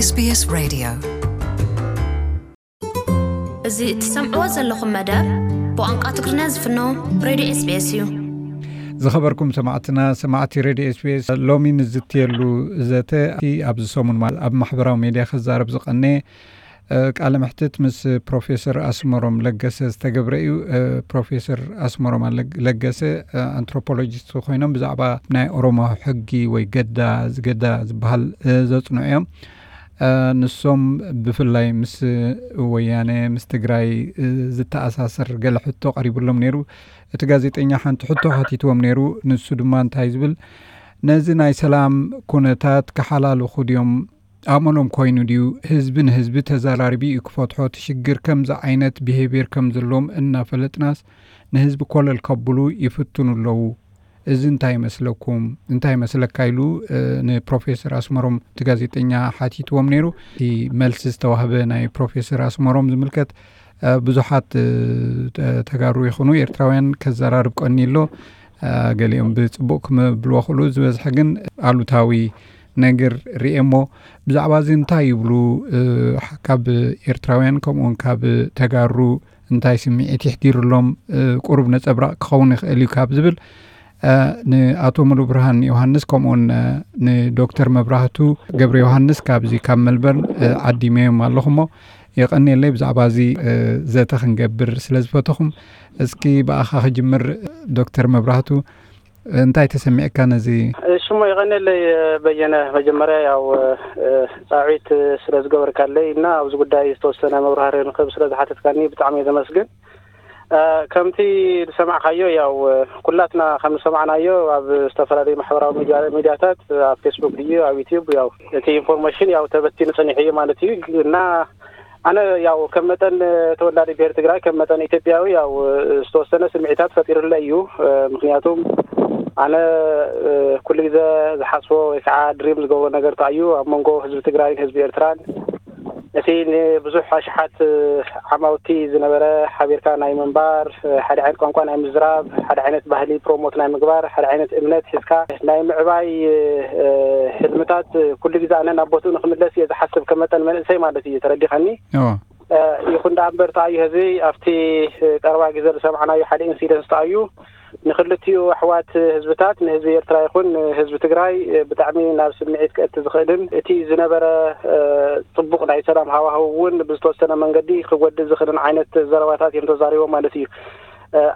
SBS Radio. እዚ እትሰምዕዎ ዘለኹም መደብ ብቋንቋ ትግርኛ ዝፍኖ ሬድዮ SBS እዩ። ዝኸበርኩም ሰማዕትና፣ ሰማዕቲ ሬድዮ SBS፣ ሎሚ ንዝትየሉ ዘተ፣ እቲ ኣብዚ ሰሙን፣ ማለት፣ ኣብ ማሕበራዊ ሜድያ ክዛረብ ዝቐነየ ቃለ መሕትት ምስ ፕሮፌሰር ኣስመሮም ለገሰ ዝተገብረ እዩ። ፕሮፌሰር ኣስመሮም ለገሰ ኣንትሮፖሎጂስት ኮይኖም ብዛዕባ ናይ ኦሮሞ ሕጊ ወይ ገዳ፣ ገዳ ዝበሃል ዘጽንዑ እዮም። ንሶም ብፍላይ ምስ ወያነ፣ ምስ ትግራይ ዝተኣሳሰር ገለ ሕቶ ቀሪብሎም ነይሩ። እቲ ጋዜጠኛ ሓንቲ ሕቶ ሓቲትዎም ነይሩ። ንሱ ድማ እንታይ ዝብል፣ ነዚ ናይ ሰላም ኩነታት ክሓላልኹ ድዮም ኣመሎም ኮይኑ ድዩ? ህዝቢ ንህዝቢ ተዘራሪቡ እዩ ክፈትሖ። እቲ ሽግር ከምዚ ዓይነት ቢሄቪየር ከም ዘለዎም እናፈለጥናስ ንህዝቢ ኮለል ከብሉ ይፍትኑ ኣለዉ። እዚ እንታይ ይመስለኩም? እንታይ ይመስለካ? ኢሉ ንፕሮፌሰር ኣስመሮም እቲ ጋዜጠኛ ሓቲትዎም ነይሩ። እቲ መልሲ ዝተዋህበ ናይ ፕሮፌሰር ኣስመሮም ዝምልከት ብዙሓት ተጋሩ ይኹኑ ኤርትራውያን ከዘራርብ ቀኒ ኣሎ። ገሊኦም ብጽቡቕ ክምብልዎ ክእሉ፣ ዝበዝሐ ግን ኣሉታዊ ነገር ርእየ እሞ፣ ብዛዕባ እዚ እንታይ ይብሉ? ካብ ኤርትራውያን ከምኡውን ካብ ተጋሩ እንታይ ስምዒት ይሕዲሩሎም? ቁሩብ ነጸብራቕ ክኸውን ይኽእል እዩ ካብ ዝብል፣ ንኣቶ ሙሉ ብርሃን ዮሃንስ ከምኡውን ንዶክተር መብራህቱ ገብረ ዮሃንስ ካብዚ ካብ መልበርን ዓዲመዮም ኣለኹ እሞ፣ የቐንየለይ ብዛዕባ እዚ ዘተ ክንገብር ስለ ዝፈተኹም። እስኪ ብኣኻ ክጅምር። ዶክተር መብራህቱ፣ እንታይ ተሰሚዕካ ነዚ? እሺ እሞ፣ የቐንየለይ በየነ። መጀመርያ ያው ጻዕዊት ስለ ዝገበርካለይ እና ኣብዚ ጉዳይ ዝተወሰነ መብራህሪ ንክብ ስለ ዝሓተትካኒ ብጣዕሚ እየ ዘመስግን። ከምቲ ዝሰማዕካዮ፣ ያው ኩላትና ከም ዝሰማዕናዮ ኣብ ዝተፈላለዩ ማሕበራዊ ሚድያ፣ ሚድያታት፣ ኣብ ፌስቡክ ድዩ ኣብ ዩቲዩብ፣ ያው እቲ ኢንፎርሜሽን ያው ተበቲኑ ጸኒሑ እዩ ማለት እዩ። እና ኣነ ያው ከም መጠን ተወላዲ ብሄር ትግራይ፣ ከም መጠን ኢትዮጵያዊ፣ ያው ዝተወሰነ ስምዒታት ፈጢሩለ እዩ። ምክንያቱም ኣነ ኩሉ ግዜ ዝሓስቦ ወይ ከዓ ድሪም ዝገብሮ ነገር እንታይ እዩ፣ ኣብ መንጎ ህዝቢ ትግራይን ህዝቢ ኤርትራን እቲ ንብዙሕ ኣሽሓት ዓማውቲ ዝነበረ ሓቢርካ ናይ ምንባር፣ ሓደ ዓይነት ቋንቋ ናይ ምዝራብ፣ ሓደ ዓይነት ባህሊ ፕሮሞት ናይ ምግባር፣ ሓደ ዓይነት እምነት ሒዝካ ናይ ምዕባይ ሕልምታት ኩሉ ግዜ ኣነ ናብ ቦትኡ ንክምለስ እየ ዝሓስብ፣ ከም መጠን መንእሰይ ማለት እዩ። ተረዲኻኒ? ይኹን ደኣ እምበር ተኣዩ ህዝቢ ኣብቲ ቀረባ ግዜ ዝሰማዕናዮ ሓደ ኢንሲደንስ ተኣዩ ንክልቲኡ ኣሕዋት ህዝብታት፣ ንህዝቢ ኤርትራ ይኹን ንህዝቢ ትግራይ፣ ብጣዕሚ ናብ ስምዒት ከእቲ ዝኽእልን እቲ ዝነበረ ጽቡቕ ናይ ሰላም ሃዋህው እውን ብዝተወሰነ መንገዲ ክጎድእ ዝኽእልን ዓይነት ዘረባታት እዮም ተዛሪቦም ማለት እዩ።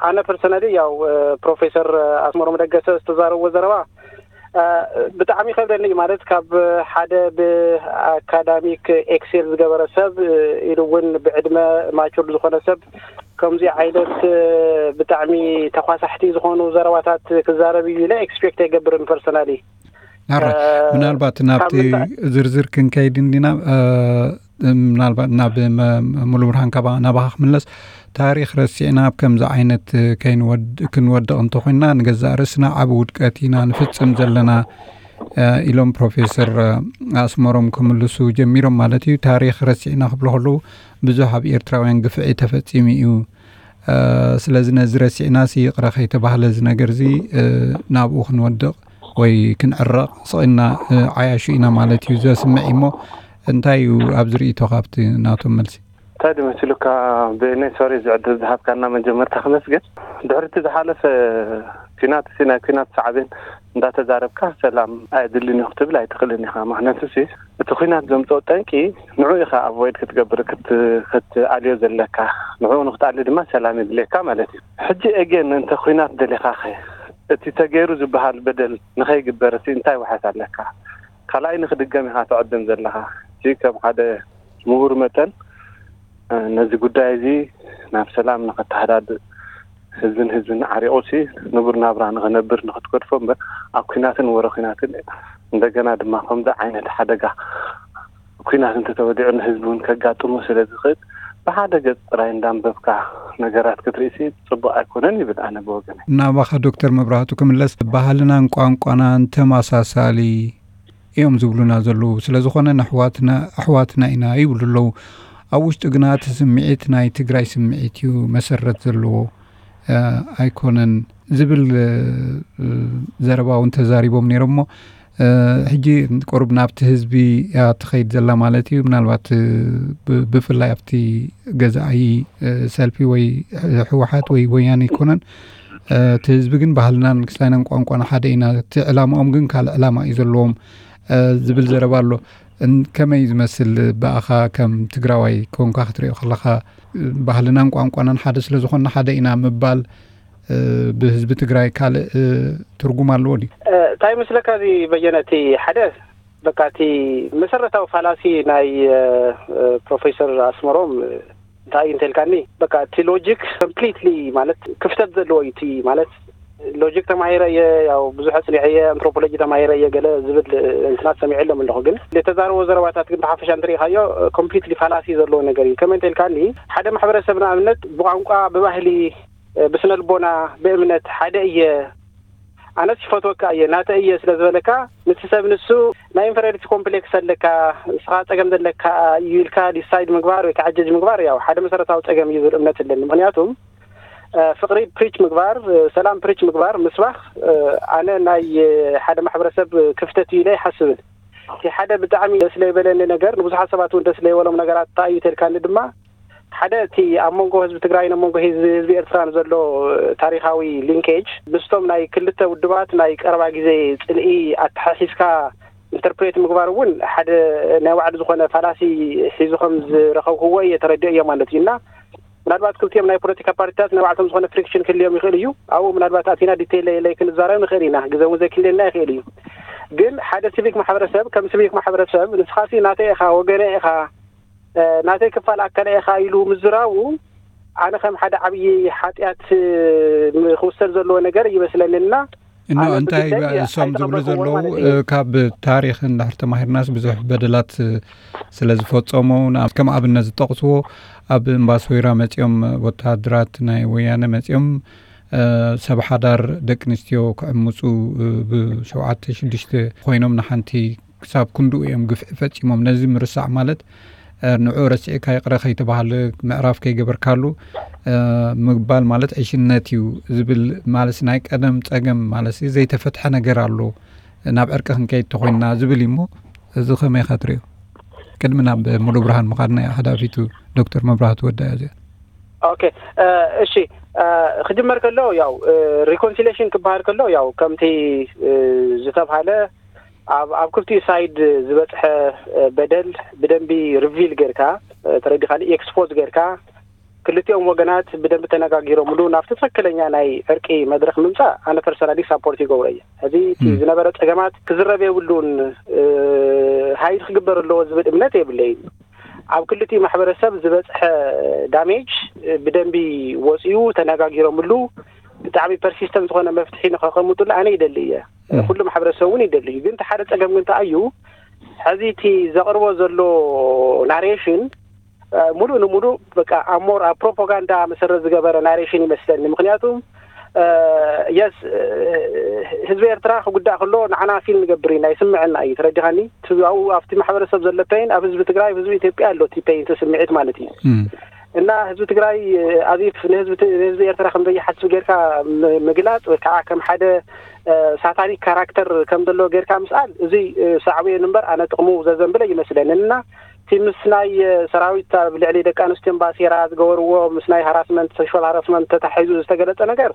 ኣነ ፐርሰናሊ ያው ፕሮፌሰር ኣስመሮም ለገሰ ዝተዛረብዎ ዘረባ ብጣዕሚ ይኸብደኒ እዩ። ማለት ካብ ሓደ ብኣካዳሚክ ኤክሴል ዝገበረ ሰብ ኢሉ እውን ብዕድመ ማቹር ዝኾነ ሰብ ከምዚ ዓይነት ብጣዕሚ ተኳሳሕቲ ዝኾኑ ዘረባታት ክዛረብ እዩ ኢለ ኤክስፔክት ኣይገብርን ፐርሰናሊ። ናራ ምናልባት ናብቲ ዝርዝር ክንከይድ እንዲና፣ ምናልባት ናብ ሙሉ ብርሃን ካባ ናባኻ ክምለስ። ታሪኽ ረሲዕና ኣብ ከምዚ ዓይነት ክንወድቕ እንተኾይንና ንገዛእ ርእስና ዓብ ውድቀት ኢና ንፍጽም ዘለና ኢሎም ፕሮፌሰር ኣስመሮም ክምልሱ ጀሚሮም ማለት እዩ። ታሪኽ ረሲዕና ክብሎ ከለዉ ብዙሕ ኣብ ኤርትራውያን ግፍዒ ተፈጺሙ እዩ። ስለዚ ነዚ ረሲዕና ሲ ይቕረ ከይተባህለ እዚ ነገር እዚ ናብኡ ክንወድቕ ወይ ክንዕረቕ ስቕ ኢልና ዓያሹ ኢና ማለት እዩ ዘስምዕ እሞ እንታይ እዩ ኣብዚ ርእይቶ ካብቲ ናቶም መልሲ? እንታይ ድመሲሉካ ብእነይ ሶሪ ዝዕድል ዝሃብካና መጀመርታ ክመስግን። ድሕርቲ ዝሓለፈ ኲናት ሲ ናይ ኲናት ሳዕቤን እንዳተዛረብካ ሰላም ኣየድልን እዩ ክትብል ኣይትኽእልን ኢኻ። ምክንያቱ ሲ እቲ ኲናት ዘምፅኦ ጠንቂ ንዑ ኢኻ ኣቮይድ ክትገብር ክትኣልዮ ዘለካ። ንዑ ንክትኣሊ ድማ ሰላም የድልየካ ማለት እዩ። ሕጂ ኤጌን እንተ ኲናት ደሊኻኸ እቲ ተገይሩ ዝበሃል በደል ንኸይግበር ሲ እንታይ ውሓት ኣለካ? ካልኣይ ንክድገም ኢኻ ትዕድም ዘለኻ። እዚ ከም ሓደ ምሁር መጠን ነዚ ጉዳይ እዚ ናብ ሰላም ንኸተሃዳድእ ህዝብን ህዝብን ዓሪቑ ሲ ንቡር ናብራ ንኸነብር ንኽትገድፎ እምበር ኣብ ኲናትን ወረ ኲናትን እንደገና ድማ ከምዚ ዓይነት ሓደጋ ኲናት እንተተወዲዑ ንህዝቢ እውን ከጋጥሞ ስለ ዝኽእል ብሓደ ገፅ ጥራይ እንዳንበብካ ነገራት ክትርኢ ሲ ፅቡቕ ኣይኮነን ይብል ኣነ ብወገነይ። ናባኻ ዶክተር መብራህቱ ክምለስ፣ ባህልናን ቋንቋናን ተመሳሳሊ እዮም ዝብሉና ዘለዉ። ስለ ዝኾነ ንኣሕዋትና ኣሕዋትና ኢና ይብሉ ኣለዉ። ኣብ ውሽጡ ግና እቲ ስምዒት ናይ ትግራይ ስምዒት እዩ መሰረት ዘለዎ ኣይኮነን ዝብል ዘረባ እውን ተዛሪቦም ነይሮም እሞ ሕጂ ቁሩብ ናብቲ ህዝቢ እያ ትኸይድ ዘላ ማለት እዩ። ምናልባት ብፍላይ ኣብቲ ገዛኢ ሰልፊ ወይ ህወሓት ወይ ወያነ ኣይኮነን። እቲ ህዝቢ ግን ባህልናን ክስታይናን ቋንቋና ሓደ ኢና፣ እቲ ዕላማኦም ግን ካልእ ዕላማ እዩ ዘለዎም ዝብል ዘረባ ኣሎ። ከመይ ዝመስል ብኣኻ ከም ትግራዋይ ኮንካ ክትሪኦ ከለኻ፣ ባህልናን ቋንቋናን ሓደ ስለ ዝኾንና ሓደ ኢና ምባል ብህዝቢ ትግራይ ካልእ ትርጉም ኣለዎ ድዩ? እንታይ ይመስለካ፣ እዚ በየነ፣ እቲ ሓደ በቃ እቲ መሰረታዊ ፋላሲ ናይ ፕሮፌሰር ኣስመሮም እንታይ እንተልካኒ፣ በቃ እቲ ሎጂክ ኮምፕሊትሊ ማለት ክፍተት ዘለዎ እዩ። እቲ ማለት ሎጂክ ተማሂረ እየ፣ ያው ብዙሕ ኣፅኒዐ እየ፣ ኣንትሮፖሎጂ ተማሂረ እየ ገለ ዝብል እንትናት ሰሚዐሎም ኣለኹ። ግን የተዛረቦ ዘረባታት ግን ብሓፈሻ እንተሪኢኻዮ ኮምፕሊትሊ ፋላሲ ዘለዎ ነገር እዩ። ከመይ እንተልካኒ፣ ሓደ ማሕበረሰብ ንኣብነት ብቋንቋ፣ ብባህሊ፣ ብስነ ልቦና፣ ብእምነት ሓደ እየ፣ ኣነስ ይፈትወካ እየ፣ ናተ እየ ስለ ዝበለካ፣ ንቲ ሰብ ንሱ ናይ ኢንፌሪዮሪቲ ኮምፕሌክስ ኣለካ፣ ንስኻ ጸገም ዘለካ እዩ ኢልካ ዲሳይድ ምግባር ወይ ከዓ ጀጅ ምግባር ያው ሓደ መሰረታዊ ጸገም እዩ ዝብል እምነት ኣለኒ። ምክንያቱም ፍቅሪ ፕሪች ምግባር፣ ሰላም ፕሪች ምግባር፣ ምስባክ ኣነ ናይ ሓደ ማሕበረሰብ ክፍተት እዩ ኢለ ኣይሓስብን። እቲ ሓደ ብጣዕሚ ደስ ለይበለኒ ነገር፣ ንብዙሓት ሰባት እውን ደስ ለይበሎም ነገራት እንታይ እዩ ተልካኒ ድማ፣ ሓደ እቲ ኣብ መንጎ ህዝቢ ትግራይን ኣብ መንጎ ህዝቢ ኤርትራን ዘሎ ታሪካዊ ሊንኬጅ ምስቶም ናይ ክልተ ውድባት ናይ ቀረባ ግዜ ጽልኢ ኣተሓሒዝካ ኢንተርፕሬት ምግባር እውን ሓደ ናይ ባዕሉ ዝኾነ ፋላሲ ሒዙ ከም ዝረኸብክዎ እየ ተረዲኦ እየ ማለት እዩ። እና ምናልባት ክልቲኦም ናይ ፖለቲካ ፓርቲታት ናይ ባዕልቶም ዝኾነ ፍሪክሽን ክልዮም ይኽእል እዩ። ኣብኡ ምናልባት ኣቲና ዲቴይል ለይለይ ክንዛረብ ንኽእል ኢና፣ ግዜ እውን ዘይክልየና ይኽእል እዩ። ግን ሓደ ሲቪክ ማሕበረሰብ ከም ሲቪክ ማሕበረሰብ ንስኻሲ ናተይ ኢኻ፣ ወገነ ኢኻ፣ ናተይ ክፋል ኣካለ ኢኻ ኢሉ ምዝራቡ ኣነ ከም ሓደ ዓብዪ ሓጢኣት ክውሰድ ዘለዎ ነገር ይመስለኒ። እና እኖ እንታይ እሶም ዝብሉ ዘለዉ ካብ ታሪኽ እንድሕር ተማሂርናስ ብዙሕ በደላት ስለ ዝፈጸሙ፣ ከም ኣብነት ዝጠቕስዎ ኣብ እምባሶይራ መጺኦም ወተሃደራት ናይ ወያነ መጺኦም ሰብ ሓዳር ደቂ ኣንስትዮ ክዕምፁ ብሸውዓተ ሽዱሽተ ኮይኖም ንሓንቲ ክሳብ ክንድኡ እዮም ግፍዒ ፈጺሞም። ነዚ ምርሳዕ ማለት ንዑ ረሲዕካ ይቕረ ከይተባህለ ምዕራፍ ከይገበርካሉ ምግባል ማለት ዕሽነት እዩ ዝብል ማለት ናይ ቀደም ጸገም ማለት ዘይተፈትሐ ነገር ኣሎ። ናብ ዕርቂ ክንከይድ ተኾይንና ዝብል እዩ። እሞ እዚ ከመይ ኢኻ ትሪኦ? ቅድሚ ናብ ሙሉ ብርሃን ምኻድና እያ ሓዳፊቱ ዶክተር መብራህቱ ወዳ እያ እዚኣ። ኦኬ፣ እሺ፣ ክጅመር ከሎ ያው ሪኮንሲሌሽን ክበሃል ከሎ ያው ከምቲ ዝተብሃለ ኣብ ኣብ ክልቲኡ ሳይድ ዝበፅሐ በደል ብደንቢ ሪቪል ጌርካ ተረዲኻኒ፣ ኤክስፖዝ ጌርካ ክልቲኦም ወገናት ብደንቢ ተነጋጊሮምሉ ናብቲ ትኽክለኛ ናይ ዕርቂ መድረኽ ምምፃእ ኣነ ፐርሰናሊ ሳፖርት ይገብሮ እየ። ሕዚ እቲ ዝነበረ ፀገማት ክዝረብ የብሉን፣ ሃይድ ክግበር ኣለዎ ዝብል እምነት የብለይን። ኣብ ክልቲኡ ማሕበረሰብ ዝበፅሐ ዳሜጅ ብደንቢ ወፂኡ ተነጋጊሮምሉ ብጣዕሚ ፐርሲስተንት ዝኾነ መፍትሒ ንኸቐምጡሉ ኣነ ይደሊ እየ። ኩሉ ማሕበረሰብ እውን ይደሊ እዩ። ግን እቲ ሓደ ፀገም ግን እንታይ እዩ፣ ሕዚ እቲ ዘቕርቦ ዘሎ ናሬሽን ሙሉእ ንሙሉእ በቃ ኣብ ሞር ኣብ ፕሮፓጋንዳ መሰረት ዝገበረ ናሬሽን ይመስለኒ። ምክንያቱም የስ ህዝቢ ኤርትራ ክጉዳእ ከሎ ንዓና ፊል ንገብር ኢና፣ ይስምዐና እዩ። ተረዲኻኒ? ኣብኡ ኣብቲ ማሕበረሰብ ዘሎ ፔይን ኣብ ህዝቢ ትግራይ፣ ህዝቢ ኢትዮጵያ ኣሎ እቲ ፔይን፣ እቲ ስምዒት ማለት እዩ። እና ህዝቢ ትግራይ ኣዚፍ ንህዝቢ ት- ንህዝቢ ኤርትራ ከም ዘይሓስብ ጌርካ ም- ምግላጽ ወይ ከዓ ከም ሓደ ሳታኒክ ካራክተር ከም ዘለዎ ጌርካ ምስኣል፣ እዚ ሳዕቤኑ እምበር ኣነ ጥቕሙ ዘዘንብለ ይመስለኒ። እና እቲ ምስ ናይ ሰራዊት ኣብ ልዕሊ ደቂ ኣንስትዮን ባሴራ ዝገበርዎ ምስ ናይ ሃራስመንት፣ ሴክሹዋል ሃራስመንት ተታሒዙ ዝተገለጸ ነገር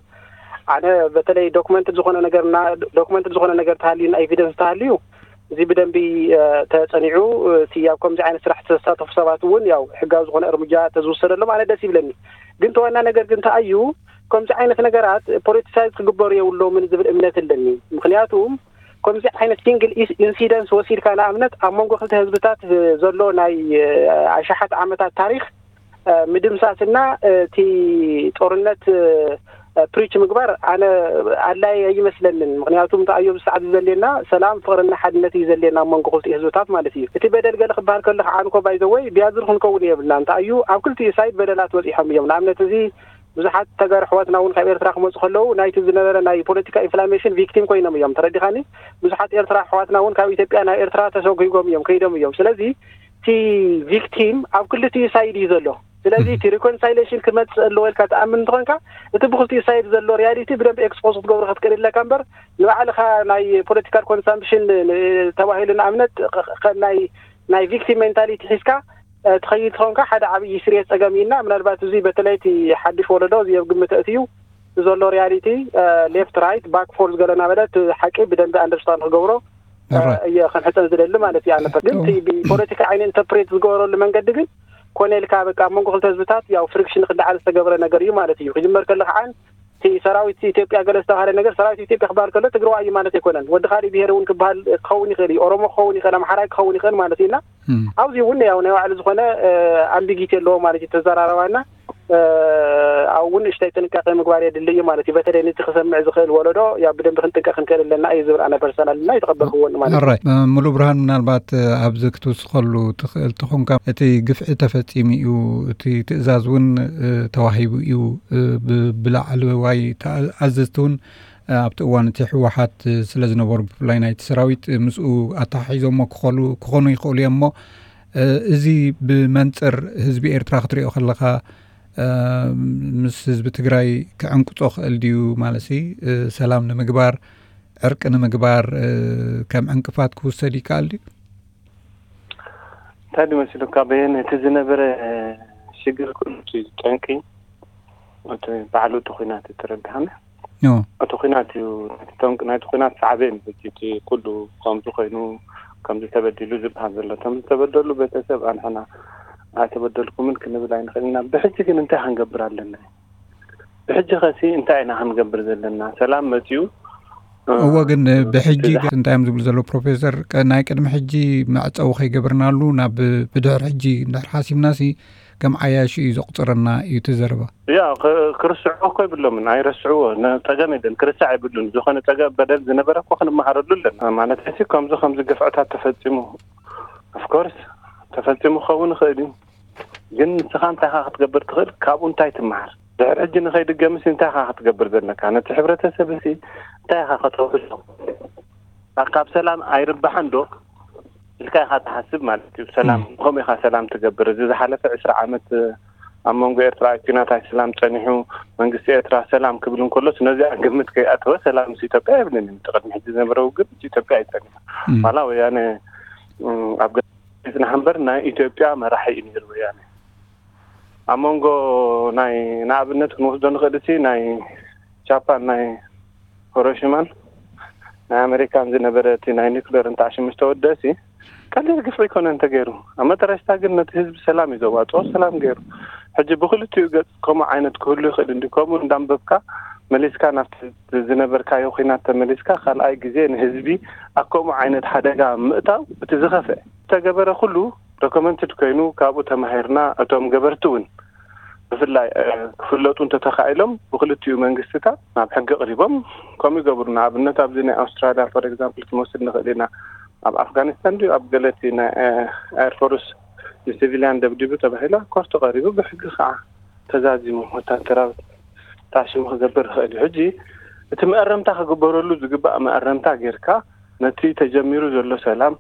ኣነ በተለይ ዶክመንትድ ዝኾነ ነገር እና ዶክመንትድ ዝኾነ ነገር ተሃልዩ እና ኤቪደንስ ተሃልዩ እዚ ብደንቢ ተጸኒዑ እቲ ኣብ ከምዚ ዓይነት ስራሕ ዝተሳተፉ ሰባት እውን ያው ሕጋዊ ዝኾነ እርምጃ ተዝውሰደሎም ኣነ ደስ ይብለኒ። ግን ተዋና ነገር ግን እንታይ እዩ፣ ከምዚ ዓይነት ነገራት ፖለቲሳይዝ ክግበሩ የብሎምን ዝብል እምነት ኣለኒ። ምክንያቱ ከምዚ ዓይነት ሲንግል ኢንሲደንስ ወሲድካ ንኣብነት ኣብ መንጎ ክልተ ህዝብታት ዘሎ ናይ ኣሽሓት ዓመታት ታሪክ ምድምሳስና እቲ ጦርነት ፕሪች ምግባር ኣነ ኣድላይ ኣይመስለንን። ምክንያቱ እንታይ እዩ ኣብዚ ሰዓት ዘድልየና ሰላም፣ ፍቅርና ሓድነት እዩ ዘድልየና ኣብ መንጎ ክልቲኡ ህዝብታት ማለት እዩ። እቲ በደል ገለ ክበሃል ከሎ ከዓ እንኮ ባይ ዘ ወይ ቢያዝር ክንከውን የብልና። እንታይ እዩ ኣብ ክልቲኡ ሳይድ በደላት በፂሖም እዮም። ንኣብነት እዚ ብዙሓት ተጋሩ ኣሕዋትና እውን ካብ ኤርትራ ክመፁ ከለዉ ናይቲ ዝነበረ ናይ ፖለቲካ ኢንፍላሜሽን ቪክቲም ኮይኖም እዮም። ተረዲኻኒ? ብዙሓት ኤርትራ ኣሕዋትና እውን ካብ ኢትዮጵያ ናብ ኤርትራ ተሰጒጎም እዮም፣ ከይዶም እዮም። ስለዚ እቲ ቪክቲም ኣብ ክልቲኡ ሳይድ እዩ ዘሎ። ስለዚ እቲ ሪኮንሳይሌሽን ክመፅእ ኣለዎ ኢልካ ትኣምን እንተኾንካ፣ እቲ ብክልቲኡ ሳይድ ዘሎ ሪያሊቲ ብደንብ ኤክስፖዝ ክትገብሮ ክትክእል ኣለካ እምበር፣ ንባዕልኻ ናይ ፖለቲካል ኮንሳምፕሽን ተባሂሉ ንኣብነት፣ ኸ- ኸ- ናይ ናይ ቪክቲም ሜንታሊቲ ሒዝካ ትኸይድ ትኾንካ፣ ሓደ ዓብዪ ስርየት ፀገም ኢና። ምናልባት እዚ በተለይ እቲ ሓድሽ ወለዶ እዚ ኣብ ግምት ኣእትዩ ዘሎ ሪያሊቲ፣ ሌፍት ራይት ባክ ፎርስ ገለ እናበለ እቲ ሓቂ ብደንቢ ኣንደርስታንድ ክገብሮ እየ ክንሕፀን ዝደሊ ማለት እዩ። ኣነ ግን እቲ ብፖለቲካ ዓይነ ኢንተርፕሬት ዝገበረሉ መንገዲ ግን ኮነ ኢልካ በቃ ኣብ መንጎ ክልተ ህዝብታት ያው ፍሪክሽን ክለዓል ዝተገብረ ነገር እዩ ማለት እዩ። ክጅመር ከሎ ከዓ እቲ ሰራዊት ኢትዮጵያ ገለ ዝተባሃለ ነገር፣ ሰራዊት ኢትዮጵያ ክበሃል ከሎ ትግራዋይ እዩ ማለት ኣይኮነን። ወዲ ካሊእ ብሄር እውን ክበሃል ክኸውን ይኽእል እዩ፣ ኦሮሞ ክኸውን ይኽእል፣ ኣምሓራይ ክኸውን ይኽእል ማለት እዩ። እና ኣብዚ እውን ያው ናይ ባዕሉ ዝኾነ ኣምቢጊቲ ኣለዎ ማለት እዩ። ተዘራረባና ኣብ እውን እሽታይ ጥንቃቄ ምግባር የድሊ እዩ ማለት እዩ። በተለይ ነቲ ክሰምዕ ዝኽእል ወለዶ ያው ብደንብ ክንጥንቀቅ ክንክእል ኣለና እዩ ዝብል ኣነ ፐርሰናል እና ይተቀበልክዎ ማለት እዩ። ራይ ሙሉ ብርሃን፣ ምናልባት ኣብዚ ክትውስኸሉ ትኽእል ትኾንካ፣ እቲ ግፍዒ ተፈጺሙ እዩ፣ እቲ ትእዛዝ እውን ተዋሂቡ እዩ፣ ብላዕለዋይ ኣዘዝቲ እውን ኣብቲ እዋን እቲ ህወሓት ስለ ዝነበሩ፣ ብፍላይ ናይቲ ሰራዊት ምስኡ ኣተሓሒዞሞ ክኾኑ ይኽእሉ እዮም። እሞ እዚ ብመንፅር ህዝቢ ኤርትራ ክትሪኦ ከለኻ፣ ምስ ህዝቢ ትግራይ ክዕንቅፆ ክእል ድዩ? ማለት ሰላም ንምግባር፣ ዕርቂ ንምግባር ከም ዕንቅፋት ክውሰድ ይከኣል ድዩ? እንታይ ድመሲሉካ በየን እቲ ዝነበረ ሽግር ኩሉ ጠንቂ እቲ ባዕሉ እቲ ኩናት ተረድሃና። እቲ ኩናት እዩ። ናይቲ ኩናት ሳዕቤን እቲ ኩሉ ከምዚ ኮይኑ ከምዚ ተበዲሉ ዝበሃል ዘሎ፣ እቶም ዝተበደሉ ቤተሰብ ኣንሕና ኣይተበደልኩምን ክንብል ኣይንኽእል ኢና። ብሕጂ ግን እንታይ ክንገብር ኣለና? ብሕጂ ኸሲ እንታይ ኢና ክንገብር ዘለና? ሰላም መፅዩ። እወ፣ ግን ብሕጂ እንታይ እዮም ዝብሉ ዘለዉ ፕሮፌሰር? ናይ ቅድሚ ሕጂ መዕፀዊ ከይገብርናሉ ናብ ብድሕሪ ሕጂ እንድሕር ሓሲብናሲ ከም ዓያሹ እዩ ዘቑፅረና እዩ እቲ ዘረባ። ያ ክርስዕዎ እኮ ይብሎምን፣ ኣይረስዕዎ። ፀገም የለን፣ ክርስዕ ኣይብሉን። ዝኾነ ፀገም በደል ዝነበረ እኮ ክንመሃረሉ ኣለና። ማለት ሲ ከምዚ ከምዚ ግፍዕታት ተፈፂሙ፣ ኦፍኮርስ ተፈፂሙ ክኸውን ይኽእል እዩ። ግን ንስኻ እንታይ ኢኻ ክትገብር ትኽእል? ካብኡ እንታይ ትመሃር? ድሕሪ ሕጂ ንኸይድገምስ እንታይ ኢኻ ክትገብር ዘለካ? ነቲ ሕብረተሰብ ሲ እንታይ ኢኻ ከተውሕሶ? ካብ ሰላም ኣይርባሕን ዶ ኢልካ ኢኻ ትሓስብ ማለት እዩ። ሰላም ከምኡ ኢኻ ሰላም ትገብር። እዚ ዝሓለፈ ዕስራ ዓመት ኣብ መንጎ ኤርትራ ኩናት ኣይሰላም ጸኒሑ፣ መንግስቲ ኤርትራ ሰላም ክብል እንከሎስ ነዚኣ ግምት ከይኣተወ ሰላም ምስ ኢትዮጵያ ኣይብልን እዩ። እቲ ቅድሚ ሕጂ ዝነበረ ውግእ ምስ ኢትዮጵያ እዩ ጸኒሑ። ዋላ ወያነ ኣብ ገ- ይጽናሕ እምበር ናይ ኢትዮጵያ መራሒ እዩ ነይሩ ወያነ። ኣብ መንጎ ናይ ንኣብነት ክንወስዶ ንኽእል እቲ ናይ ጃፓን ናይ ሆሮሽማን ናይ ኣመሪካን ዝነበረ እቲ ናይ ኒክሌር እንተዓሽሙ ዝተወደእሲ ቀሊል ግፍዒ ኣይኮነን ተገይሩ። ኣብ መጠረሽታ ግን ነቲ ህዝቢ ሰላም እዩ ዘዋፅኦ፣ ሰላም ገይሩ። ሕጂ ብክልቲኡ ገፅ ከምኡ ዓይነት ክህሉ ይኽእል እንዲ ከምኡ እንዳንበብካ መሊስካ ናብቲ ዝነበርካዮ ኩናት ተመሊስካ ካልኣይ ግዜ ንህዝቢ ኣብ ከምኡ ዓይነት ሓደጋ ምእታው እቲ ዝኸፍአ ዝተገበረ ኩሉ ዶክመንትድ ኮይኑ ካብኡ ተማሂርና እቶም ገበርቲ እውን ብፍላይ ክፍለጡ እንተተኻኢሎም ብክልቲኡ መንግስትታት ናብ ሕጊ ቅሪቦም ከምኡ ይገብሩ። ንኣብነት ኣብዚ ናይ ኣውስትራሊያ ፎር ኤግዛምፕል ክንወስድ ንኽእል ኢና። ኣብ ኣፍጋኒስታን ድዩ ኣብ ገለቲ ናይ ኤርፎርስ ንሲቪልያን ደብዲቡ ተባሂላ ኮርት ቀሪቡ ብሕጊ ከዓ ተዛዚሙ ወታደራዊ ታሽሙ ክገብር ይኽእል እዩ። ሕጂ እቲ መእረምታ ክግበረሉ ዝግባእ መእረምታ ጌርካ ነቲ ተጀሚሩ ዘሎ ሰላም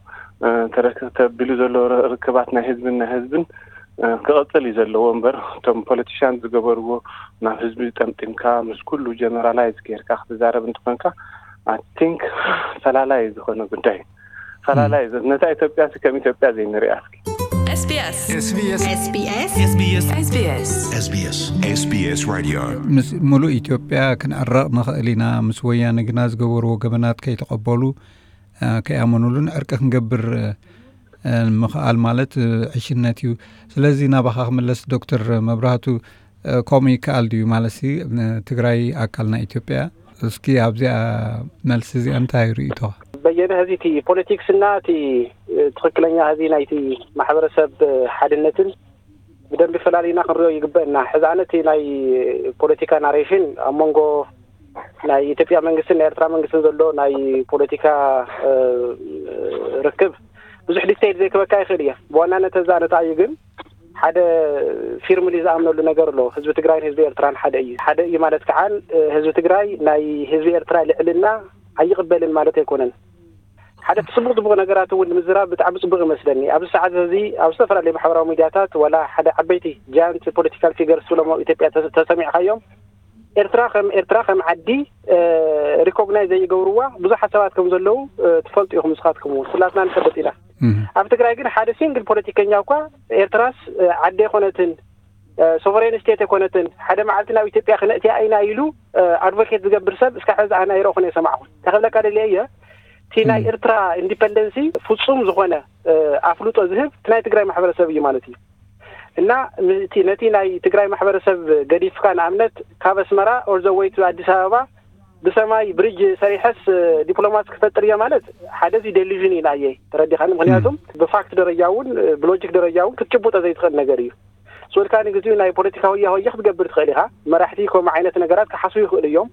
ተረክ- ተቢሉ ዘሎ ር- ርክባት ናይ ህዝብን ናይ ህዝብን ክቐፅል እዩ ዘለዎ እምበር እቶም ፖለቲሽያን ዝገበርዎ ናብ ህዝቢ ጠምጢምካ ምስ ኩሉ ጀነራላይዝ ጌርካ ክትዛረብ እንትኾንካ ኣይ ቲንክ ፈላላይ ዝኾነ ጉዳይ እዩ። ፈላላይ ነታ ኢትዮጵያ ሲ ከም ኢትዮጵያ ዘይንሪኣ እስኪ። SBS SBS SBS SBS SBS SBS Radio ምስ ሙሉእ ኢትዮጵያ ክንዕረቕ ንኽእል ኢና፣ ምስ ወያነ ግና ዝገበርዎ ገበናት ከይተቐበሉ ከይኣመኑሉን ዕርቂ ክንገብር ምኽኣል ማለት ዕሽነት እዩ። ስለዚ ናባኻ ክምለስ ዶክተር መብራህቱ፣ ከምኡ ይከኣል ድዩ? ማለት ሲ ትግራይ ኣካል ናይ ኢትዮጵያ። እስኪ ኣብዚኣ መልሲ እዚኣ እንታይ ርእይቶ? በየነ፣ ህዚ እቲ ፖለቲክስና እቲ ትኽክለኛ ህዚ ናይቲ ማሕበረሰብ ሓድነትን ብደንቢ ፈላሊና ክንሪኦ ይግበእና። ሕዚ ኣነ እቲ ናይ ፖለቲካ ናሬሽን ኣብ መንጎ ናይ ኢትዮጵያ መንግስትን ናይ ኤርትራ መንግስትን ዘሎ ናይ ፖለቲካ ርክብ ብዙሕ ዲቴይል ዘይክበካ ይኽእል እየ። ብዋናነት እዛ ነታ እዩ ግን ሓደ ፊርምሊ ዝኣምነሉ ነገር ኣሎ። ህዝቢ ትግራይን ህዝቢ ኤርትራን ሓደ እዩ። ሓደ እዩ ማለት ከዓ ህዝቢ ትግራይ ናይ ህዝቢ ኤርትራ ልዕልና ኣይቕበልን ማለት ኣይኮነን። ሓደ ጽቡቕ ጽቡቕ ነገራት እውን ንምዝራብ ብጣዕሚ ጽቡቕ ይመስለኒ። ኣብዚ ሰዓት እዚ ኣብ ዝተፈላለዩ ማሕበራዊ ሚድያታት ዋላ ሓደ ዓበይቲ ጃያንት ፖለቲካል ፊገርስ ዝብሎም ኣብ ኢትዮጵያ ተሰ- ተሰሚዕካዮም፣ ኤርትራ ከም ኤርትራ ከም ዓዲ ሪኮግናይዝ ዘይገብርዋ ብዙሓት ሰባት ከም ዘለዉ ትፈልጡ ኢኹም ንስኻትኩም እውን። ኩላትና ንፈልጥ ኢና። ኣብ ትግራይ ግን ሓደ ሲንግል ፖለቲከኛ እኳ ኤርትራስ ዓዲ ኣይኮነትን፣ ሶቨሬን ስቴት ኣይኮነትን፣ ሓደ መዓልቲ ናብ ኢትዮጵያ ክነእትያ ኢና ኢሉ ኣድቮኬት ዝገብር ሰብ እስካ ሕዚ ኣነ ኣይረእኹን እየ ሰማዕኹን። እንታይ ክብለካ ደልየ እየ፣ እቲ ናይ ኤርትራ ኢንዲፐንደንሲ ፍጹም ዝኾነ ኣፍልጦ ዝህብ እቲ ናይ ትግራይ ማሕበረሰብ እዩ ማለት እዩ። እና ነቲ ናይ ትግራይ ማሕበረሰብ ገዲፍካ ንኣብነት ካብ ኣስመራ ኦል ዘ ወይ ቱ ኣዲስ ኣበባ ብሰማይ ብሪጅ ሰሪሐስ ዲፕሎማሲ ክፈጥር እየ ማለት ሓደ እዚ ዴሉዥን እዩ ንኣየይ፣ ተረዲኻኒ። ምክንያቱም ብፋክት ደረጃ እውን ብሎጂክ ደረጃ እውን ክትጭቡጦ ዘይትኽእል ነገር እዩ። ስወልካ ንግዚኡ ናይ ፖለቲካ ሆያ ሆያ ክትገብር ትኽእል ኢኻ። መራሕቲ ከምኡ ዓይነት ነገራት ክሓስቡ ይኽእሉ እዮም።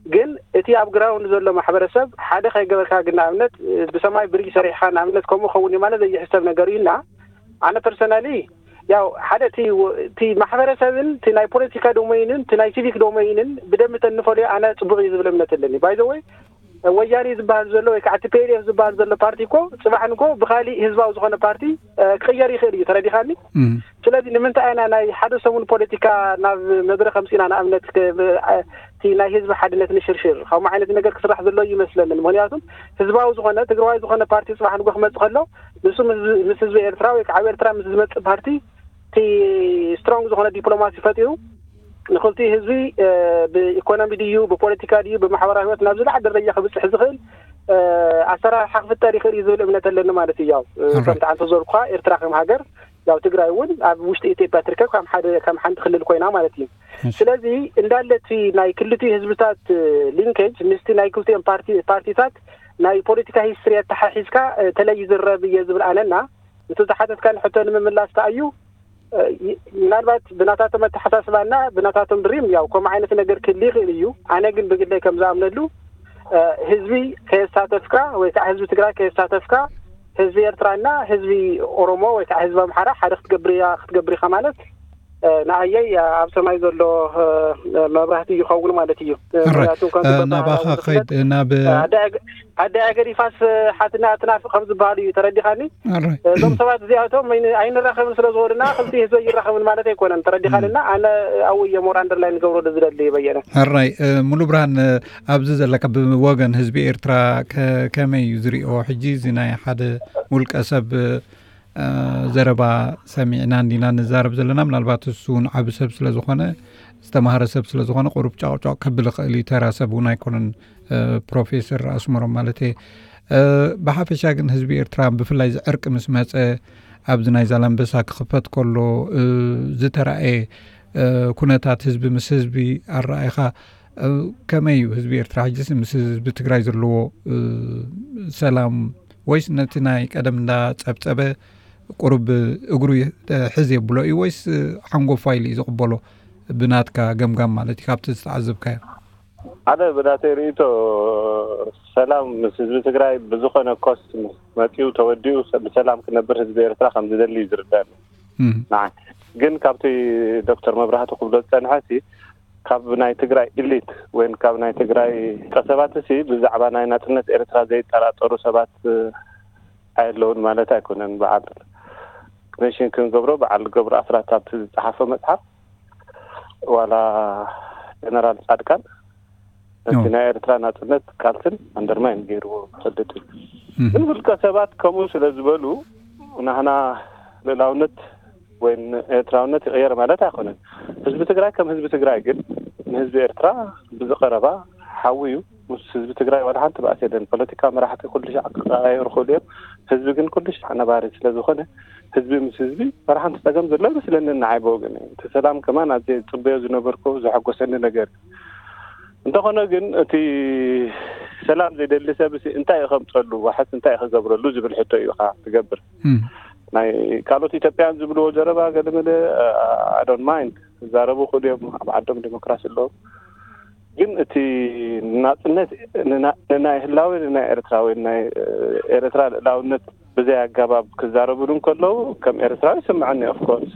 ግን እቲ ኣብ ግራውንድ ዘሎ ማሕበረሰብ ሓደ ከይገበርካ፣ ግን ንኣብነት ብሰማይ ብሪጅ ሰሪሕካ ንኣብነት ከምኡ ኸውን እዩ ማለት ዘይሕሰብ ነገር እዩ። እና ኣነ ፐርሰናሊ ያው ሓደ እቲ እቲ ማሕበረሰብን እቲ ናይ ፖለቲካ ዶሜይንን እቲ ናይ ሲቪክ ዶሜይንን ብደንቢ ተንፈልዮ ኣነ ጽቡቕ እዩ ዝብል እምነት ኣለኒ። ባይ ዘ ወይ ወያኔ ዝበሃል ዘሎ ወይ ከዓ ቲ ፒ ኤል ኤፍ ዝበሃል ዘሎ ፓርቲ እኮ ጽባሕ ንጎ ብካሊእ ህዝባዊ ዝኾነ ፓርቲ ክቕየር ይኽእል እዩ። ተረዲኻኒ? ስለዚ ንምንታይ ኢና ናይ ሓደ ሰሙን ፖለቲካ ናብ መድረክ ኣምፂና ንኣብነት እቲ ናይ ህዝቢ ሓድነት ንሽርሽር ከምኡ ዓይነት ነገር ክስራሕ ዘሎ እዩ ይመስለንን። ምክንያቱም ህዝባዊ ዝኾነ ትግራዋይ ዝኾነ ፓርቲ ፅባሕ ንጎ ክመፅእ ከሎ ንሱ ምስ ህዝቢ ኤርትራ ወይ ከዓ ኤርትራ ምስ ዝመፅእ ፓርቲ እቲ ስትሮንግ ዝኾነ ዲፕሎማሲ ፈጢሩ ንክልቲኡ ህዝቢ ብኢኮኖሚ ድዩ ብፖለቲካ ድዩ ብማሕበራዊ ህይወት ናብ ዝለዓለ ደረጃ ክብፅሕ ዝኽእል ኣሰራርሓ ክፍጠር ይኽእል እዩ ዝብል እምነት ኣለኒ ማለት እዩ። ከምቲ ዓንተ ዘልኳ ኤርትራ ከም ሃገር ያው ትግራይ እውን ኣብ ውሽጢ ኢትዮጵያ ትርከብ ከም ሓደ ከም ሓንቲ ክልል ኮይና ማለት እዩ። ስለዚ እንዳለ እቲ ናይ ክልቲኡ ህዝብታት ሊንኬጅ ምስቲ ናይ ክልቲኦም ፓርቲ ፓርቲታት ናይ ፖለቲካ ሂስትሪ ኣተሓሒዝካ ተለይ ዝረብ እየ ዝብል ኣነና እቲ ዝሓተትካን ሕቶ ንምምላስ ተኣዩ ምናልባት ብናታቶም ኣተሓሳስባና ብናታቶም ድሪም ያው ከምኡ ዓይነት ነገር ክህሊ ይኽእል እዩ። ኣነ ግን ብግለይ ከም ዝኣምነሉ ህዝቢ ከየሳተፍካ ወይ ከዓ ህዝቢ ትግራይ ከየሳተፍካ ህዝቢ ኤርትራና ህዝቢ ኦሮሞ ወይ ከዓ ህዝቢ ኣምሓራ ሓደ ክትገብር እያ ክትገብር ኢኻ ማለት ንኣየይ ኣብ ሰማይ ዘሎ መብራህቲ ይኸውን ማለት እዩ። ምክንያቱ ናባኻ ከይድ ናብ ኣደ ኣገዲፋስ ሓትና ትናፍቕ ከም ዝበሃል እዩ። ተረዲኻኒ? እዞም ሰባት እዚኣቶም ኣይንራኸብን ስለ ዝበሉና ክልቲ ህዝቢ ይራኸብን ማለት ኣይኮነን። ተረዲኻንና ኣነ ኣው እየ ሞር ኣንደርላይን ንገብሮ ዝደሊ በየነ ሕራይ። ሙሉ ብርሃን፣ ኣብዚ ዘለካ ብወገን ህዝቢ ኤርትራ ከመይ እዩ ዝሪኦ ሕጂ እዚ ናይ ሓደ ውልቀ ሰብ ዘረባ ሰሚዕና እንዲና ንዛረብ ዘለና? ምናልባት እሱ እውን ዓቢ ሰብ ስለ ዝኾነ ዝተማሃረ ሰብ ስለ ዝኾነ ቁሩብ ጫቕጫቕ ከብል ይኽእል እዩ። ተራ ሰብ እውን ኣይኮነን። ፕሮፌሰር ኣስመሮም ማለት እየ። ብሓፈሻ ግን ህዝቢ ኤርትራ ብፍላይ እዚ ዕርቂ ምስ መጸ ኣብዚ ናይ ዛላምበሳ ክኽፈት ከሎ ዝተራእየ ኩነታት ህዝቢ ምስ ህዝቢ ኣረኣይኻ ከመይ እዩ ህዝቢ ኤርትራ ሕጂስ ምስ ህዝቢ ትግራይ ዘለዎ ሰላም ወይስ ነቲ ናይ ቀደም እንዳጸብጸበ ቁሩብ እግሩ ሕዝ የብሎ እዩ ወይስ ሓንጎፋ ኢሉ እዩ ዝቕበሎ? ብናትካ ገምጋም ማለት እዩ ካብቲ ዝተዓዘብካዮ። ሓደ ብናተይ ርእይቶ ሰላም ምስ ህዝቢ ትግራይ ብዝኾነ ኮስት መፂኡ ተወዲኡ ብሰላም ክነብር ህዝቢ ኤርትራ ከም ዝደሊ እዩ ዝርዳኒ። ንዓይ ግን ካብቲ ዶክተር መብራህቱ ክብሎ ዝፀንሐ ሲ ካብ ናይ ትግራይ ኢሊት ወይ ካብ ናይ ትግራይ ቀሰባት ሲ ብዛዕባ ናይ ናፅነት ኤርትራ ዘይጠራጠሩ ሰባት ኣየለውን ማለት ኣይኮነን። በዓል ሜንሽን ክንገብሮ በዓል ገብሩ ኣስራት ኣብቲ ዝፀሓፎ መፅሓፍ ዋላ ጀነራል ፃድቃን ነቲ ናይ ኤርትራ ናፅነት ቃልስን ኣንደርማይን ገይርዎ ዝፈልጥ እዩ። ግን ውልቀ ሰባት ከምኡ ስለ ዝበሉ ናህና ልእላውነት ወይ ኤርትራውነት ይቕየር ማለት ኣይኮነን። ህዝቢ ትግራይ ከም ህዝቢ ትግራይ ግን ንህዝቢ ኤርትራ ብዝቐረባ ሓዊ እዩ። ምስ ህዝቢ ትግራይ ዋላ ሓንቲ ባእሲ የለን። ፖለቲካ መራሕቲ ኩሉ ሻዕ ክቀያየሩ ክእሉ እዮም። ህዝቢ ግን ኩሉ ሻዕ ነባሪ ስለ ዝኾነ ህዝቢ ምስ ህዝቢ ዋላ ሓንቲ ጸገም ዘሎ ኣይመስለንን ንዓይ ብወገነይ። እቲ ሰላም ከማን ኣዝየ ዝጽበዮ ዝነበርኩ ዘሐጎሰኒ ነገር እዩ። እንተኾነ ግን እቲ ሰላም ዘይደሊ ሰብ ሲ እንታይ እዩ ከምጸሉ ዋሕስ እንታይ እዩ ክገብረሉ ዝብል ሕቶ እዩ ኻ ትገብር። ናይ ካልኦት ኢትዮጵያን ዝብልዎ ዘረባ ገለመለ ኣዶን ማይንድ ክዛረቡ ክእሉ እዮም። ኣብ ዓዶም ዲሞክራሲ ኣለዎም። ግን እቲ ናፅነት ንናይ ህላዊ ንናይ ኤርትራዊ ናይ ኤርትራ ልእላውነት ብዘይ ኣገባብ ክዛረቡሉ እንከለዉ ከም ኤርትራዊ ይስምዐኒ። ኦፍኮርስ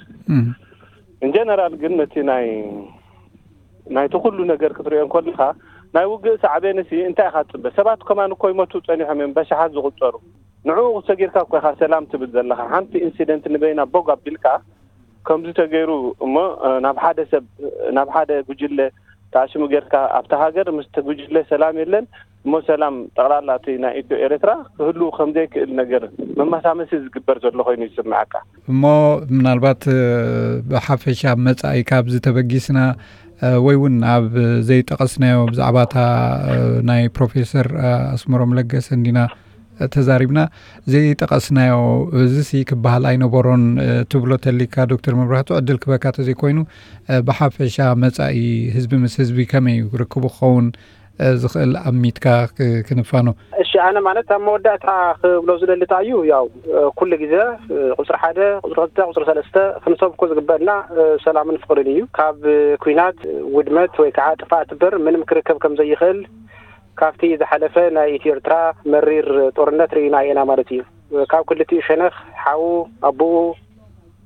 እንጀነራል ግን ነቲ ናይ ናይቲ ኩሉ ነገር ክትሪኦ እንከለካ ናይ ውግእ ሳዕቤንሲ እንታይ ኢኻ ትጽበ? ሰባት ከማን እኮ ይሞቱ ጸኒሖም እዮም፣ በሽሓት ዝቑጸሩ። ንዕኡ ሰጊርካ እኮ ኢኻ ሰላም ትብል ዘለኻ። ሓንቲ ኢንሲደንት ንበይና ቦግ ኣቢልካ ከምዚ ተገይሩ እሞ፣ እ፣ ናብ ሓደ ሰብ፣ ናብ ሓደ ጉጅለ ተኣሽሙ ጌርካ ኣብታ ሃገር ምስቲ ጉጅለ ሰላም የለን እሞ ሰላም ጠቕላላ እቲ ናይ ኢትዮ ኤርትራ ክህሉ ከም ዘይክእል ነገር መመሳመሲ ዝግበር ዘሎ ኮይኑ ይስምዓካ። እሞ ምናልባት፣ እ፣ ብሓፈሻ ኣብ መጻኢ ካብዚ ተበጊስና፣ እ፣ ወይ እውን ኣብ ዘይጠቐስናዮ ብዛዕባ እታ፣ እ፣ ናይ ፕሮፌሰር፣ እ፣ ኣስመሮም ለገሰ እንዲና ተዛሪብና ዘይጠቐስናዮ፣ እዚሲ ክበሃል ኣይነበሮን፣ እ፣ ትብሎ ተሊካ ዶክተር መብራህቱ ዕድል ክበካ ተዘይኮይኑ፣ እ፣ ብሓፈሻ መጻኢ ህዝቢ ምስ ህዝቢ ከመይ እዩ ርክቡ ክኸውን፣ እ፣ ዝኽእል ኣሚትካ ክ-፣ ክንፋኖ? እሺ፣ ኣነ ማለት ኣብ መወዳእታ ክብሎ ዝደሊ እንታይ እዩ፣ ያው፣ እ፣ ኩሉ ግዜ፣ እ፣ ቁጽሪ ሓደ፣ ቁጽሪ ክልተ፣ ቁጽሪ ሰለስተ ክንሰብኮ ዝግበአና፣ እ፣ ሰላምን ፍቕርን እዩ። ካብ፣ እ፣ ኲናት፣ ውድመት ወይ ከዓ ጥፍኣት እምበር ምንም ክርከብ ከም ዘይኽእል ካብቲ ዝሓለፈ ናይ ኢትዮ ኤርትራ መሪር ጦርነት ርኢና ኢና ማለት እዩ። ካብ ክልቲኡ ሸነኽ ሓዉ ኣቦኡ፣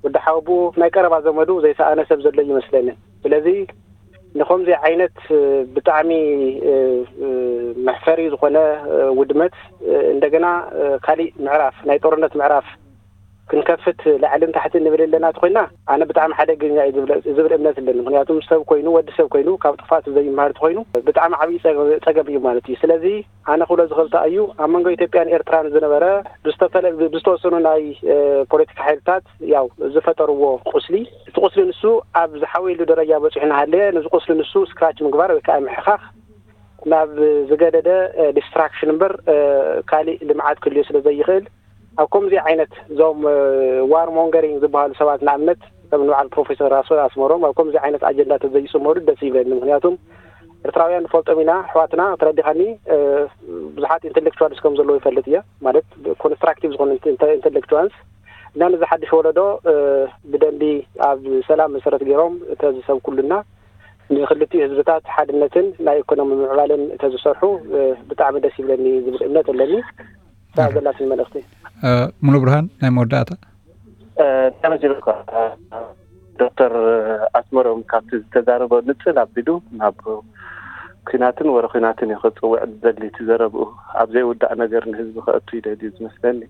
ወዲ ሓዉ ኣቦኡ፣ ናይ ቀረባ ዘመዱ ዘይሰኣነ ሰብ ዘሎ ይመስለኒ። ስለዚ ንኸምዚ ዓይነት፣ እ፣ ብጣዕሚ፣ እ፣ እ፣ መሕፈሪ ዝኾነ፣ እ፣ ውድመት፣ እ፣ እንደገና፣ እ፣ ካሊእ ምዕራፍ፣ ናይ ጦርነት ምዕራፍ ክንከፍት ላዕልን ታሕትን ንብል ኣለና ተኾይና፣ ኣነ ብጣዕሚ ሓደገኛ እዩ ዝብል፣ ዝብል እምነት ኣለኒ። ምኽንያቱም ሰብ ኮይኑ፣ ወዲ ሰብ ኮይኑ፣ ካብ ጥፋቱ ዘይመሃር ተኾይኑ፣ ብጣዕሚ ዓብዪ ጸገ-፣ ጸገም እዩ ማለት እዩ። ስለዚ ኣነ ክብሎ ዝኽእል እንታይ እዩ፣ ኣብ መንጎ ኢትዮጵያን ኤርትራን ዝነበረ ብዝተፈለ-፣ ብዝተወሰኑ ናይ፣ እ፣ ፖለቲካ ሓይልታት ያው ዝፈጠርዎ ቁስሊ፣ እቲ ቁስሊ ንሱ ኣብ ዝሓወየሉ ደረጃ በጺሑ እናሃለየ፣ ነዚ ቁስሊ ንሱ ስክራች ምግባር ወይ ከዓ ምሕኻኽ ናብ ዝገደደ፣ እ፣ ዲስትራክሽን እምበር፣ እ፣ ካሊእ ልምዓት ክልዮ ስለ ዘይኽእል፣ ኣብ ከምዚ ዓይነት እዞም፣ እ፣ ዋር ሞንገሪንግ ዝበሃሉ ሰባት ንኣብነት ከም ንበዓል ፕሮፌሰር ኣስመሮም ኣብ ከምዚ ዓይነት ኣጀንዳ ተዘይጽመዱ ደስ ይብለኒ። ምኽንያቱም ኤርትራውያን ንፈልጦም ኢና፣ ኣሕዋትና፣ ተረዲኻኒ፣ እ፣ ብዙሓት ኢንተሌክቹዋልስ ከም ዘለዉ ይፈልጥ እየ፣ ማለት ኮንስትራክቲቭ ዝኾኑ ኢንተ-፣ ኢንተሌክቹዋልስ እና ነዚ ሓድሽ ወለዶ፣ እ፣ ብደንቢ ኣብ ሰላም መሰረት ገይሮም ተዝሰብኩሉና ንክልቲኡ ህዝብታት ሓድነትን ናይ ኢኮኖሚ ምዕባለን ተዝሰርሑ፣ እ፣ ብጣዕሚ ደስ ይብለኒ ዝብል እምነት ኣለኒ። እታ ዘለትኒ መልእኽቲ። እ፣ ሙሉ ብርሃን፣ ናይ መወዳእታ። እ፣ ተመስገን እኳ፣ ዶክተር ኣስመሮም ካብቲ ዝተዛረቦ ንጽል ኣቢሉ ናብ ኲናትን ወረ ኲናትን እዩ ክጽውዕ ዝደሊ እቲ ዘረብኡ። ኣብ ዘይውዳእ ነገር ንህዝቢ ከእቱ ይደልዩ ዝመስለኒ።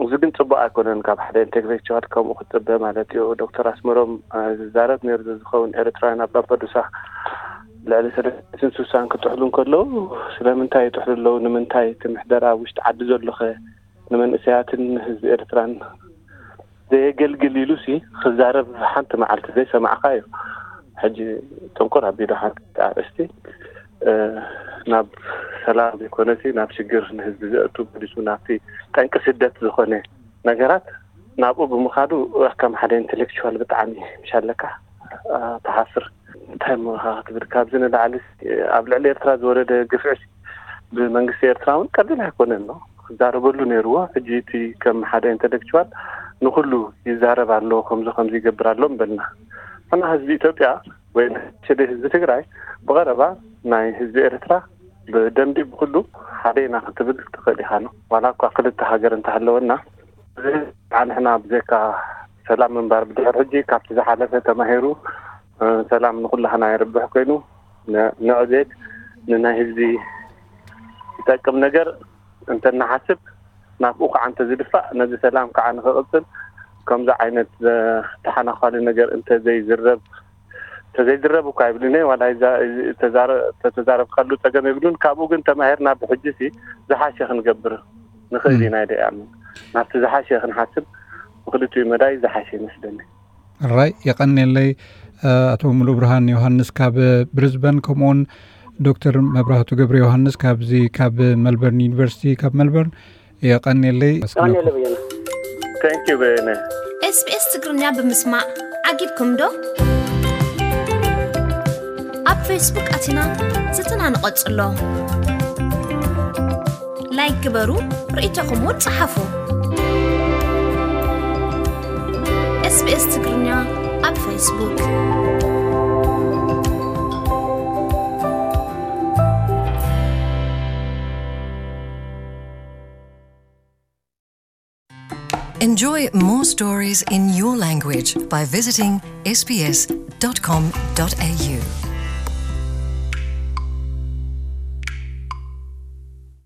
እዚ ግን ጽቡቕ ኣይኮነን፣ ካብ ሓደ ኢንተሌክቹዋል ከምኡ ክጽበ ማለት እዩ። ዶክተር ኣስመሮም፣ እ፣ ዝዛረብ ነይሩ ዝኸውን ኤርትራውያን ኣብ ላምፐዱሳ ልዕሊ ሰለስትን ስሳን ክጥሕሉ እንከለዉ ስለምንታይ ይጥሕሉ ኣለዉ? ንምንታይ እቲ ምሕደራ ኣብ ውሽጢ ዓዲ ዘሎኸ ንመንእሰያትን ንህዝቢ ኤርትራን ዘየገልግል ኢሉሲ ክዛረብ ሓንቲ መዓልቲ ዘይሰማዕካ እዩ። ሕጂ ጥንቁር ኣቢሉ ሓንቲ ኣርእስቲ፣ እ፣ ናብ ሰላም ዘይኮነሲ ናብ ሽግር ንህዝቢ ዘእቱ መሊሱ ናብቲ ጠንቂ ስደት ዝኾነ ነገራት ናብኡ ብምኻዱ ከም ሓደ ኢንተሌክቹዋል ብጣዕሚ ምሻለካ፣ እ፣ ትሓፍር። እንታይ እሞ ኢኻ ክትብል፣ ካብዚ ንላዕሊ ኣብ ልዕሊ ኤርትራ ዝወረደ ግፍዒ ብመንግስቲ ኤርትራ እውን ቀሊል ኣይኮነን ነው ክዛረበሉ ነይርዎ። ሕጂ እቲ ከም ሓደ ኢንተሌክቹዋል ንኩሉ ይዛረብ ኣሎ፣ ከምዚ ከምዚ ይገብር ኣሎ ምበልና። ሕና ህዝቢ ኢትዮጵያ ወይ ሽደ ህዝቢ ትግራይ ብቐረባ ናይ ህዝቢ ኤርትራ ብደንቢ ብኩሉ ሓደ ኢና ክትብል ትኽእል ኢኻ ነው። ዋላ እኳ ክልተ ሃገር እንተሃለወና፣ እዚ ንሕና ብዘይካ ሰላም ምንባር ብድሕር ሕጂ ካብቲ ዝሓለፈ ተማሂሩ፣ እ፣ ሰላም ንኩላህና የርብሕ ኮይኑ ን-፣ ንዕቤት ንናይ ህዝቢ ይጠቅም ነገር እንተናሓስብ ናብኡ ከዓ እንተዝድፋእ ነዚ ሰላም ከዓ ንክቕፅል ከምዚ ዓይነት ዘ-፣ ተሓናኳሊ ነገር እንተዘይዝረብ፣ ተዘይዝረብ እኳ ይብልን እየ፣ ዋላ ይዛ-፣ ተዛረ-፣ ተተዛረብካሉ ፀገም የብሉን። ካብኡ ግን ተማሂርና ብሕጂሲ ዝሓሸ ክንገብር ንኽእል ኢና ኢለ እየ ኣምን። ናብቲ ዝሓሸ ክንሓስብ ብክልቲኡ መዳይ ዝሓሸ ይመስለኒ። ራይ፣ የቐንየለይ፣ እ፣ ኣቶ ሙሉ ብርሃን ዮሃንስ ካብ ብሪዝበን፣ ከምኡውን ዶክተር መብራህቱ ገብረ ዮሃንስ ካብዚ ካብ መልበርን ዩኒቨርሲቲ ካብ መልበርን። የቐንየለይ። የቐንየለይ በየነ። Thank you በየነ። SBS ትግርኛ ብምስማዕ ዓጊብኩም ዶ? ኣብ ፌስቡክ ኣቲና ዝትና ንቐጽሎ። ላይክ ግበሩ፣ ርእይቶኹም እውን ጸሓፉ። SBS ትግርኛ ኣብ ፌስቡክ። Enjoy more stories in your language by visiting S B S dot com dot A U.